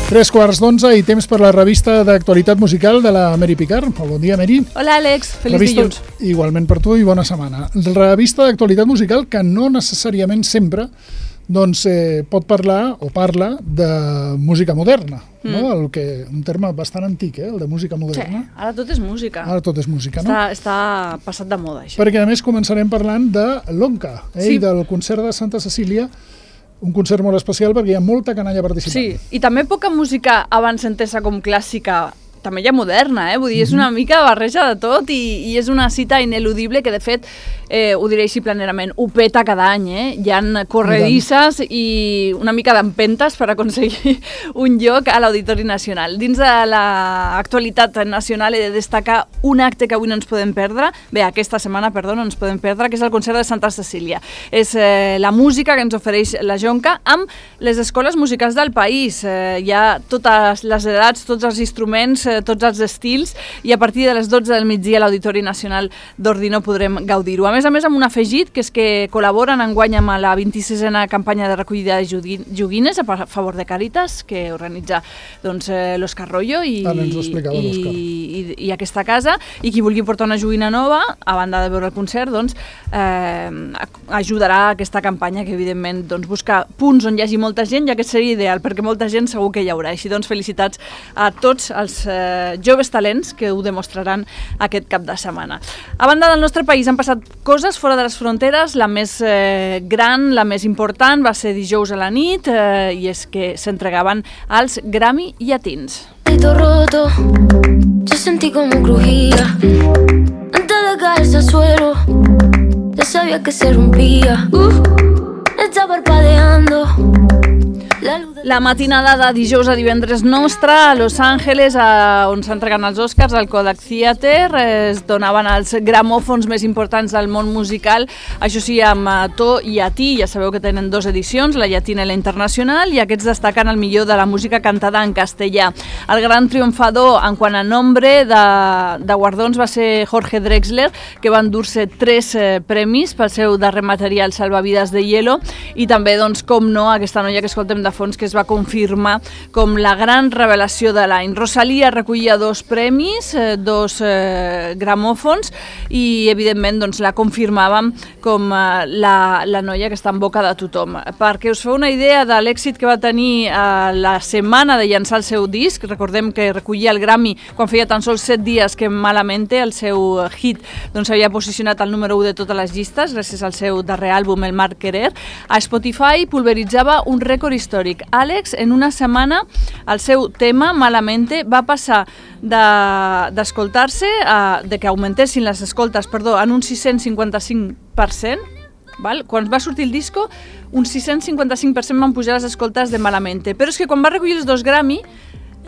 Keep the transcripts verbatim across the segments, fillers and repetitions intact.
Tres quarts d'onze i temps per la revista d'actualitat musical de la Mary Picard. Bon dia, Mary. Hola, Àlex. Feliç revista, dilluns. Igualment per tu i bona setmana. Revista d'actualitat musical que no necessàriament sempre doncs, eh, pot parlar o parla de música moderna. Mm. No? El que, un terme bastant antic, eh? El de música moderna. Sí, ara tot és música. Ara tot és música, no? Està, està passat de moda, això. Perquè a més començarem parlant de l'Onca, eh? Sí. I del concert de Santa Cecília, un concert molt especial perquè hi ha molta canalla participant. Sí, i també poca música abans entesa com clàssica, també hi ha moderna, eh? Vull dir, és una mica barreja de tot i, i és una cita ineludible que, de fet, eh, ho diré així planerament, ho peta cada any, eh? Hi ha corredisses i una mica d'empentes per aconseguir un lloc a l'Auditori Nacional. Dins de l'actualitat nacional he de destacar un acte que avui no ens podem perdre, bé, aquesta setmana, perdó, no ens podem perdre, que és el concert de Santa Cecília. És eh, la música que ens ofereix la Jonca amb les escoles musicals del país. Eh, hi ha totes les edats, tots els instruments, eh, tots els estils, i a partir de les dotze del migdia a l'Auditori Nacional d'Ordino podrem gaudir-ho. A més a més, amb un afegit, que és que col·laboren enguany amb la vint-i-sisena campanya de recollida de joguines a favor de Càritas, que organitza doncs, eh, l'Òscar Royo i, i, i, i aquesta casa, i qui vulgui portar una joguina nova, a banda de veure el concert, doncs, eh, ajudarà a aquesta campanya, que evidentment doncs, busca punts on hi hagi molta gent, ja que seria ideal, perquè molta gent segur que hi haurà. Així doncs, felicitats a tots els eh, joves talents que ho demostraran aquest cap de setmana. A banda del nostre país han passat coses fora de les fronteres. La més eh, gran, la més important, va ser dijous a la nit, eh, i és que s'entregaven als Grammy Llatins. Roto, yo sentí como crujía antes de caerse al suelo, ya sabía que se rompía, uh, está parpadeando. La matinada de dijous a divendres nostra a Los Angeles, a, on s'entreguen els Oscars, al Kodak Theater, es donaven els gramòfons més importants del món musical, això sí, amb to llatí. Ja sabeu que tenen dues edicions, la llatina i la internacional, i aquests destaquen el millor de la música cantada en castellà. El gran triomfador en quant a nombre de, de guardons va ser Jorge Drexler, que va endur-se tres eh, premis pel seu darrer material Salvavidas de Hielo, i també, doncs, com no, aquesta noia que escoltem de fons, que es va confirmar com la gran revelació de l'any. Rosalía recollia dos premis, eh, dos eh, gramòfons, i evidentment doncs, la confirmàvem com eh, la, la noia que està en boca de tothom. Perquè us feu una idea de l'èxit que va tenir eh, la setmana de llançar el seu disc, recordem que recollia el Grammy quan feia tan sols set dies que Malamente, el seu hit, doncs havia posicionat el número u de totes les llistes gràcies al seu darrer àlbum, El Mar Querer. A Spotify pulveritzava un rècord històric. Àlex, en una setmana, el seu tema, Malamente, va passar d'escoltar-se, de, de que augmentessin les escoltes, perdó, en un sis-cents cinquanta-cinc per cent. Val? Quan va sortir el disco, un sis-cents cinquanta-cinc per cent van pujar les escoltes de Malamente. Però és que quan va recollir els dos Grammy,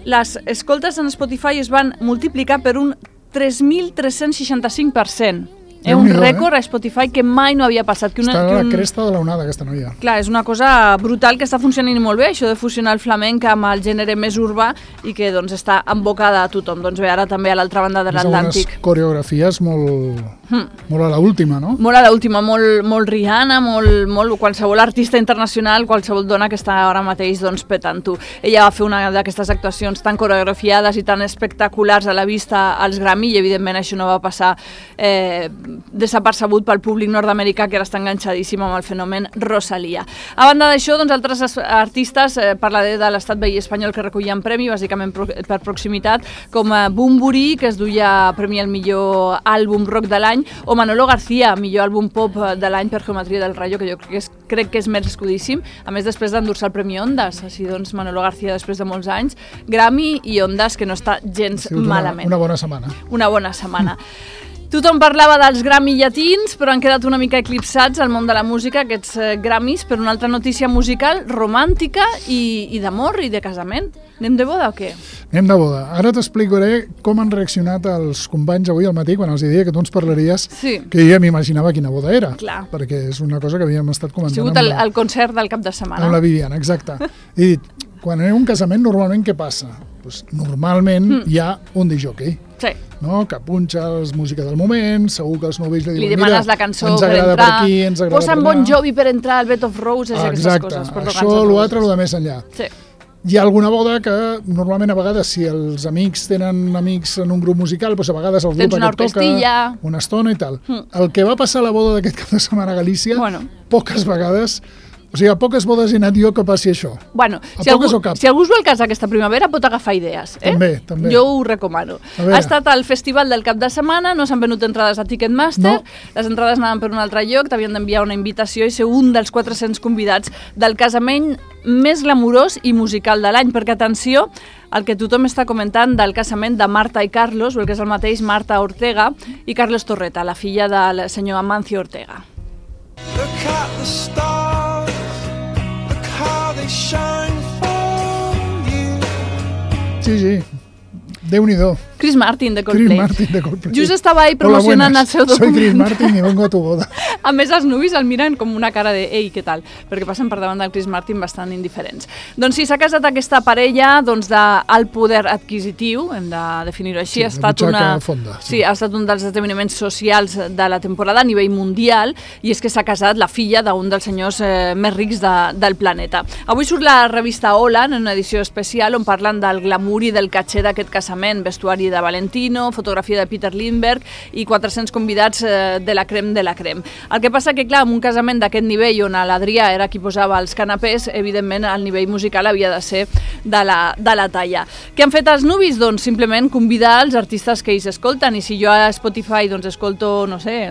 les escoltes en Spotify es van multiplicar per un tres mil tres-cents seixanta-cinc per cent. És un rècord a Spotify que mai no havia passat. Que una, està a que la un... cresta de l'onada, aquesta noia. Clar, és una cosa brutal que està funcionant molt bé, això de fusionar el flamenc amb el gènere més urbà i que doncs, està en boca de tothom. Doncs bé, ara també a l'altra banda de l'Atlàntic. Unes coreografies molt, hmm. molt a l'última, no? Molt a l'última, molt, molt Rihanna, molt, molt qualsevol artista internacional, qualsevol dona que està ara mateix doncs, petant-ho. Ella va fer una d'aquestes actuacions tan coreografiades i tan espectaculars a la vista als Grammy, i evidentment això no va passar eh, desapercebut pel públic nord-americà, que ara està enganxadíssim amb el fenomen Rosalía. A banda d'això, doncs, altres artistes, eh, parlaré de l'estat veí espanyol que recollien premi, bàsicament pro per proximitat, com eh, Bunbury, que es duia premi al millor àlbum rock de l'any, o Manolo García, millor àlbum pop de l'any per Geometria del Rayo, que jo crec que és, crec que és merescudíssim, a més després d'endur-se el Premi Ondas. Així doncs, Manolo García, després de molts anys, Grammy i Ondas, que no està gens malament. Una, una bona setmana. Una bona setmana. Tothom parlava dels Grammy llatins, però han quedat una mica eclipsats al món de la música, aquests eh, Grammys, per una altra notícia musical romàntica i, i d'amor i de casament. Anem de boda o què? Anem de boda. Ara t'explicaré com han reaccionat els companys avui al matí, quan els deia que tu ens parlaries, sí. que jo ja m'imaginava quina boda era. Clar. Perquè és una cosa que havíem estat comentant. Ha sigut el, el concert del cap de setmana. Amb la Viviana, exacte. I dit, quan hi ha un casament, normalment què passa? Pues, normalment mm. hi ha un disjockey. Sí. No? Que punxa les músiques del moment, segur que els novells li diuen, li demanes mira, la cançó ens per agrada entrar, per aquí, ens agrada posa per en allà. Bon Jovi per entrar al Bed of Roses, ah, aquestes exacte. coses. Això, l'altre, el de més enllà. Sí. Hi ha alguna boda que normalment a vegades si els amics tenen amics en un grup musical, doncs a vegades el grup aquest toca una estona i tal. Mm. El que va passar a la boda d'aquest cap de setmana a Galícia, bueno. poques vegades... O sigui, a poques bodes he anat jo que passi això. Bueno, si algú, si algú es vol casar aquesta primavera pot agafar idees. Eh? També, també. Jo ho recomano. Ha estat al festival del cap de setmana, no s'han venut entrades a Ticketmaster, no. Les entrades anaven per un altre lloc, t'havien d'enviar una invitació i ser un dels quatre-cents convidats del casament més glamurós i musical de l'any, perquè atenció, el que tothom està comentant del casament de Marta i Carlos, o el que és el mateix Marta Ortega i Carlos Torreta, la filla del senyor Amancio Ortega. Look at the stars, look how they shine for you. Sí, sí, Déu-n'hi-do. Chris Martin de Coldplay. Chris Martin de Coldplay. Just estava ahí promocionant el seu document. Soy Chris Martin y vengo a tu boda. A més, els nuvis el miren com una cara de «Ei, què tal?», perquè passen per davant del Chris Martin bastant indiferents. Doncs sí, s'ha casat aquesta parella doncs, d'alt poder adquisitiu, hem de definir-ho així. Sí, ha estat una... fonda. Sí. sí, ha estat un dels esdeveniments socials de la temporada a nivell mundial, i és que s'ha casat la filla d'un dels senyors eh, més rics de, del planeta. Avui surt la revista Hola, en una edició especial, on parlen del glamour i del caché d'aquest casament, vestuari de Valentino, fotografia de Peter Lindbergh i quatre-cents convidats eh, de la crem de la crem. El que passa que, clar, en un casament d'aquest nivell on l'Adrià era qui posava els canapés, evidentment el nivell musical havia de ser de la, de la talla. Què han fet els nuvis? Doncs simplement convidar els artistes que ells escolten, i si jo a Spotify doncs, escolto, no sé,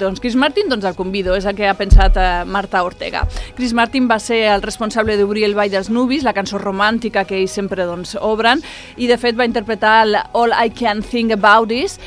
doncs Chris Martin, doncs el convido, és el que ha pensat eh, Marta Ortega. Chris Martin va ser el responsable d'obrir el Ball dels Nuvis, la cançó romàntica que ells sempre doncs, obren, i de fet va interpretar el All I Can Think About Is.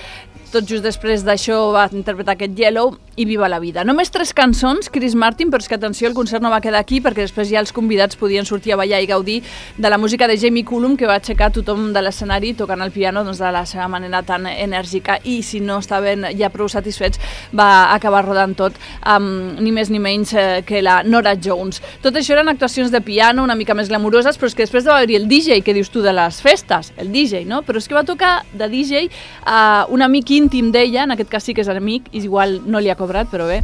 Tot just després d'això va interpretar aquest Yellow i Viva la vida. Només tres cançons, Chris Martin, però és que atenció, el concert no va quedar aquí perquè després ja els convidats podien sortir a ballar i gaudir de la música de Jamie Cullum, que va aixecar tothom de l'escenari tocant el piano doncs, de la seva manera tan enèrgica, i si no estaven ja prou satisfets va acabar rodant tot amb ni més ni menys eh, que la Norah Jones. Tot això eren actuacions de piano una mica més glamuroses, però és que després va haver-hi el D J, que dius tu de les festes, el D J, no? Però és que va tocar de D J a un amic íntim d'ella, en aquest cas sí que és amic, i igual no li ha cobrat, però bé,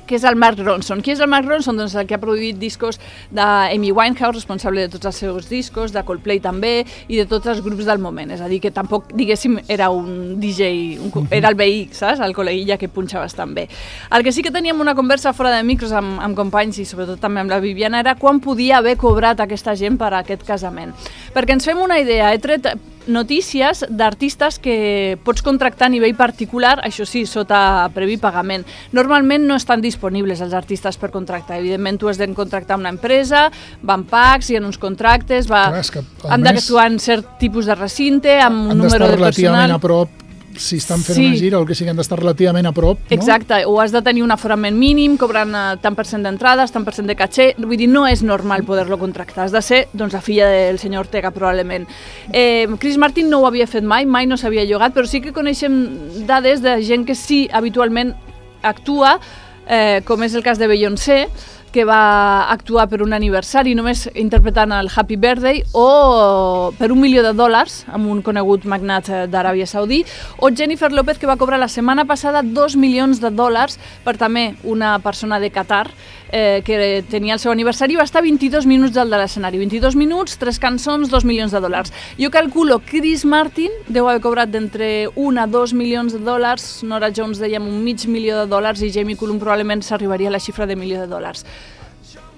que és el Mark Ronson. Qui és el Mark Ronson? Doncs el que ha produït discos d'Amy Winehouse, responsable de tots els seus discos, de Coldplay també, i de tots els grups del moment. És a dir, que tampoc, diguéssim, era un D J, un, era el veí, saps? El col·leguilla que punxa bastant bé. El que sí que teníem una conversa fora de micros amb, amb companys, i sobretot també amb la Viviana, era quan podia haver cobrat aquesta gent per a aquest casament. Perquè ens fem una idea, he tret notícies d'artistes que pots contractar a nivell particular, això sí, sota previ pagament. Normalment no estan disponibles els artistes per contractar. Evidentment, tu has de contractar una empresa, van pacs, hi ha uns contractes, va... Clar, és que, han d'actuar en cert tipus de recinte, amb un número de personal... Han d'estar relativament a prop, si estan fent sí. una gira o el que sigui, han d'estar relativament a prop, no? Exacte, o has de tenir un aforament mínim, cobrant tant per cent d'entrades, tant per cent de caché, vull dir, no és normal poder-lo contractar, has de ser, doncs, la filla del senyor Ortega, probablement. Eh, Chris Martin no ho havia fet mai, mai no s'havia llogat, però sí que coneixem dades de gent que sí, habitualment actua, eh, com és el cas de Beyoncé, que va actuar per un aniversari només interpretant el Happy Birthday, o per un milió de dòlars amb un conegut magnat d'Aràbia Saudí, o Jennifer López, que va cobrar la setmana passada dos milions de dòlars per també una persona de Qatar eh, que tenia el seu aniversari, i va estar vint-i-dos minuts al de l'escenari. vint-i-dos minuts, tres cançons, dos milions de dòlars. Jo calculo Chris Martin deu haver cobrat d'entre un a dos milions de dòlars, Norah Jones dèiem un mig milió de dòlars, i Jamie Cullum probablement s'arribaria a la xifra de milió de dòlars.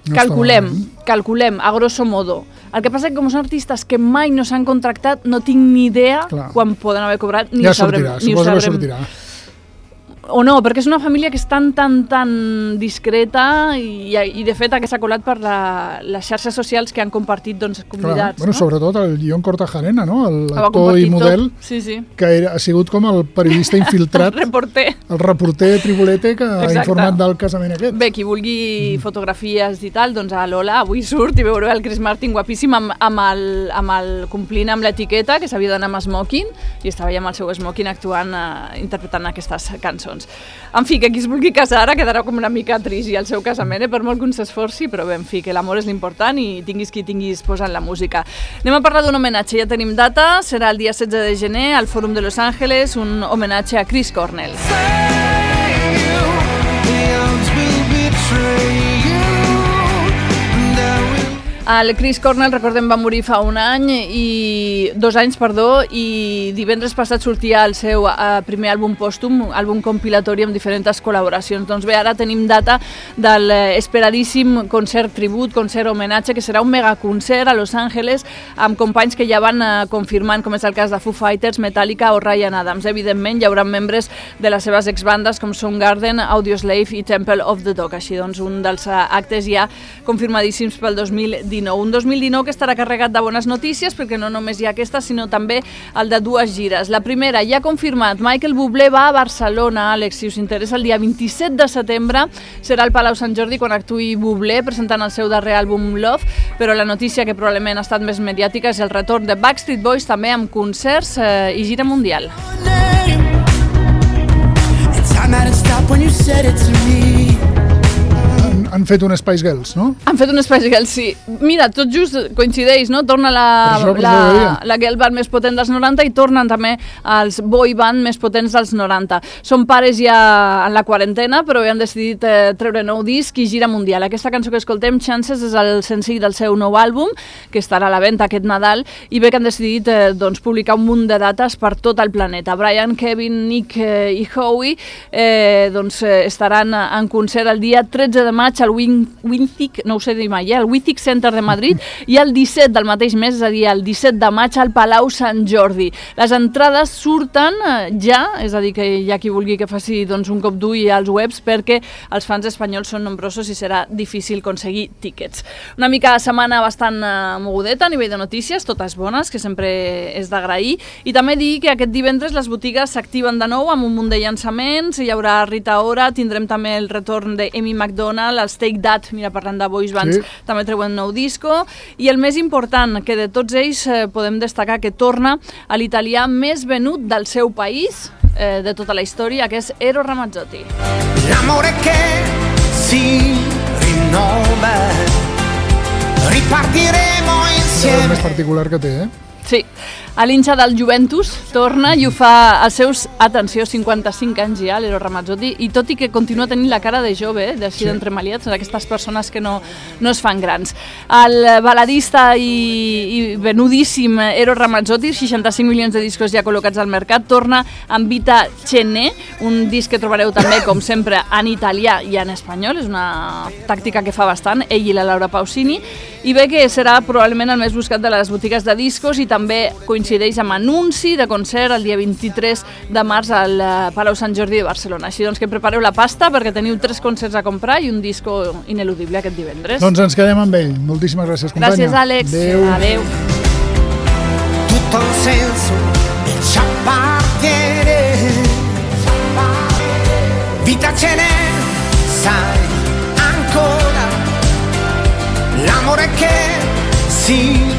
No calculem, calculem, a grosso modo. El que passa és que com són artistes que mai no s'han contractat, no tinc ni idea Clar. quan poden haver cobrat, ni ja ho sabrem. Sortirà, ni ho suposo sabrem. que sortirà. O no, perquè és una família que és tan, tan, tan discreta, i, i de fet s'ha colat per la, les xarxes socials que han compartit doncs, convidats. Clar, bueno, no? Sobretot el John Cortajarena, no? l'actor i model, sí, sí. que era, ha sigut com el periodista infiltrat, el reporter, el reporter tribolete que Exacte. ha informat del casament aquest. Bé, qui vulgui mm. fotografies i tal, doncs a l'Hola avui surt i veureu el Chris Martin guapíssim amb, amb, el, amb el complint amb l'etiqueta, que s'havia d'anar amb smoking, i estava ja amb el seu smoking actuant, eh, interpretant aquestes cançons. En fi, que qui es vulgui casar ara quedarà com una mica trist i el seu casament, eh, per molt que un s'esforci, però bé, en fi, que l'amor és l'important i tinguis qui tinguis posant la música. Anem a parlar d'un homenatge, ja tenim data, serà el dia setze de gener al Fòrum de Los Ángeles, un homenatge a Chris Cornell. El Chris Cornell, recordem, va morir fa un any i dos anys, perdó, i divendres passat sortia el seu uh, primer àlbum pòstum, àlbum compilatori amb diferents col·laboracions. Doncs bé, ara tenim data del esperadíssim concert tribut, concert homenatge, que serà un megaconcert a Los Angeles amb companys que ja van uh, confirmant, com és el cas de Foo Fighters, Metallica o Ryan Adams. Evidentment, hi haurà membres de les seves exbandes com Soundgarden, Audioslave i Temple of the Dog. Així doncs, un dels uh, actes ja confirmadíssims pel dos mil dinou. Un dos mil dinou que estarà carregat de bones notícies, perquè no només hi ha aquesta, sinó també el de dues gires. La primera, ja confirmat, Michael Bublé va a Barcelona, Àlex, si us interessa, el dia vint-i-set de setembre serà al Palau Sant Jordi quan actuï Bublé presentant el seu darrer àlbum Love, però la notícia que probablement ha estat més mediàtica és el retorn de Backstreet Boys també amb concerts eh, i gira mundial. Han fet un Spice Girls, no? Han fet un Spice Girls, sí. Mira, tot just coincideix, no? Torna la, això, la, la girl band més potent dels noranta i tornen també els boy band més potents dels noranta. Són pares ja en la quarantena, però han decidit eh, treure nou disc i gira mundial. Aquesta cançó que escoltem, Chances, és el senzill del seu nou àlbum, que estarà a la venda aquest Nadal, i bé que han decidit eh, doncs, publicar un munt de dates per tot el planeta. Brian, Kevin, Nick eh, i Howie eh, doncs, eh, estaran en concert el dia tretze de maig al Withic, no ho sé dir mai, eh? el Withic Center de Madrid, i el disset del mateix mes, és a dir, el disset de maig al Palau Sant Jordi. Les entrades surten ja, és a dir, que hi ha qui vulgui que faci doncs, un cop d'ull als webs, perquè els fans espanyols són nombrosos i serà difícil aconseguir tíquets. Una mica de setmana bastant uh, mogudeta a nivell de notícies, totes bones, que sempre és d'agrair, i també dir que aquest divendres les botigues s'activen de nou amb un munt de llançaments, hi haurà Rita Ora, tindrem també el retorn d'Amy McDonald, els Take That, mira, parlant de boys bands, sí. També treuen nou disco, i el més important, que de tots ells eh, podem destacar que torna a l'italià més venut del seu país, eh, de tota la història, que és Eros Ramazzotti. L'amore che si rinnova, ripartiremo insieme. És el més particular que té, eh? Sí, a l'hinxa del Juventus torna i ho fa als seus, atenció, cinquanta-cinc anys ja, l'Eros Ramazzotti, i tot i que continua tenint la cara de jove, eh, d'així sí. d'entremaliats, d'aquestes persones que no, no es fan grans. El baladista i, i venudíssim Eros Ramazzotti, seixanta-cinc milions de discos ja col·locats al mercat, torna amb Vita Cene, un disc que trobareu també, com sempre, en italià i en espanyol, és una tàctica que fa bastant, ell i la Laura Pausini, i bé que serà probablement el més buscat de les botigues de discos i també coincideix amb anunci de concert el dia vint-i-tres de març al Palau Sant Jordi de Barcelona. Així doncs que prepareu la pasta perquè teniu tres concerts a comprar i un disco ineludible aquest divendres. Doncs ens quedem amb ell. Moltíssimes gràcies, companya. Gràcies, Àlex. Adéu. Adéu. Tutto un senso e ci appartiene. Vita ce n'è, sai, ancora l'amore che si